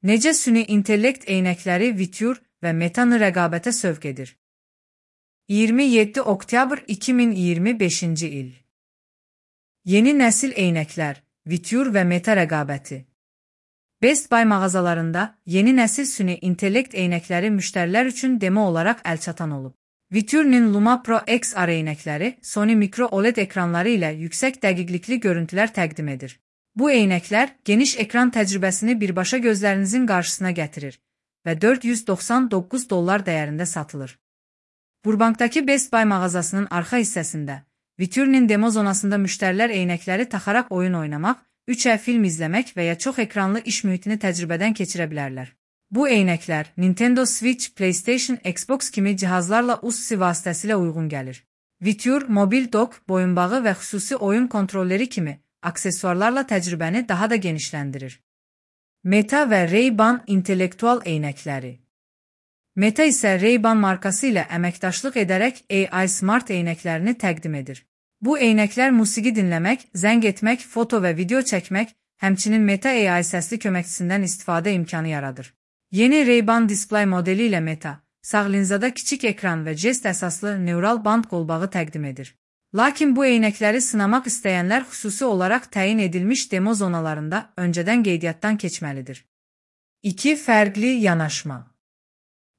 Necə süni intellekt eynəkləri Vitur və Metanı rəqabətə sövq edir? 27 oktyabr 2025-ci il. Yeni nəsil eynəklər, Vitur və Meta rəqabəti. Best Buy mağazalarında yeni nəsil süni intellekt eynəkləri müştərilər üçün demo olaraq əlçatan olub. Vitur'nin Luma Pro XR eynəkləri Sony Micro OLED ekranları ilə yüksək dəqiqlikli görüntülər təqdim edir. Bu eynəklər geniş ekran təcrübəsini birbaşa gözlərinizin qarşısına gətirir və $499 dəyərində satılır. Burbankdakı Best Buy mağazasının arxa hissəsində, Vitur'nin demo zonasında müştərilər eynəkləri taxaraq oyun oynamaq, 3D film izləmək və ya çox ekranlı iş mühitini təcrübədən keçirə bilərlər. Bu eynəklər Nintendo Switch, PlayStation, Xbox kimi cihazlarla USB-C vasitəsilə uyğun gəlir. Vitur, mobil dock, boyunbağı və xüsusi oyun kontrolleri kimi aksesuarlarla təcrübəni daha da genişləndirir. Meta və Ray-Ban intellektual eynəkləri. Meta isə Ray-Ban markası ilə əməkdaşlıq edərək AI Smart eynəklərini təqdim edir. Bu eynəklər musiqi dinləmək, zəng etmək, foto və video çəkmək, həmçinin Meta AI səsli köməkçisindən istifadə imkanı yaradır. Yeni Ray-Ban display modeli ilə Meta, sağ linzada kiçik ekran və jest əsaslı neural band qolbağı təqdim edir. Lakin bu eynəkləri sınamaq istəyənlər xüsusi olaraq təyin edilmiş demo zonalarında öncədən qeydiyyatdan keçməlidir. 2 fərqli yanaşma.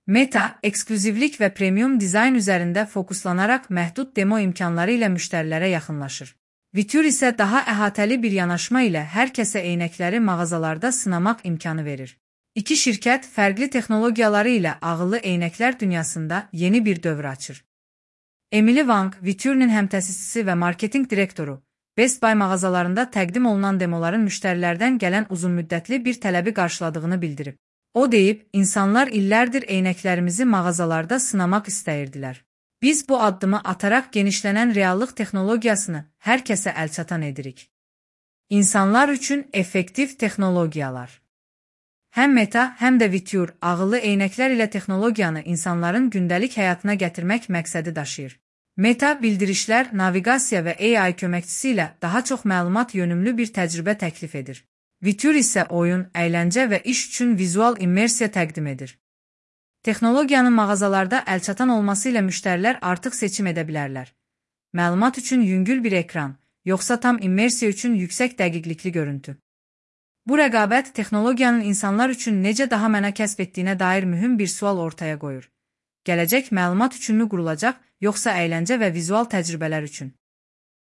Meta, eksklüzivlik və premium dizayn üzərində fokuslanaraq məhdud demo imkanları ilə müştərilərə yaxınlaşır. Vitur isə daha əhatəli bir yanaşma ilə hər kəsə eynəkləri mağazalarda sınamaq imkanı verir. İki şirkət fərqli texnologiyaları ilə ağıllı eynəklər dünyasında yeni bir dövr açır. Emily Wang, Vitur'nin həmtəsisçisi və marketinq direktoru, Best Buy mağazalarında təqdim olunan demoların müştərilərdən gələn uzunmüddətli bir tələbi qarşıladığını bildirib. O deyib, insanlar illərdir eynəklərimizi mağazalarda sınamaq istəyirdilər. Biz bu addımı ataraq genişlənən reallıq texnologiyasını hər kəsə əlçatan edirik. İnsanlar üçün effektiv texnologiyalar. Həm Meta, həm də Vitur ağıllı eynəklər ilə texnologiyanı insanların gündəlik həyatına gətirmək məqsədi daşıyır. Meta bildirişlər, naviqasiya və AI köməkçisi ilə daha çox məlumat yönümlü bir təcrübə təklif edir. Vitur isə oyun, əyləncə və iş üçün vizual immersiya təqdim edir. Texnologiyanın mağazalarda əlçatan olması ilə müştərilər artıq seçim edə bilərlər. Məlumat üçün yüngül bir ekran, yoxsa tam immersiya üçün yüksək dəqiqlikli görüntü. Bu rəqabət texnologiyanın insanlar üçün necə daha məna kəsb etdiyinə dair mühüm bir sual ortaya qoyur. Gələcək məlumat üçünmü qurulacaq, yoxsa əyləncə və vizual təcrübələr üçün?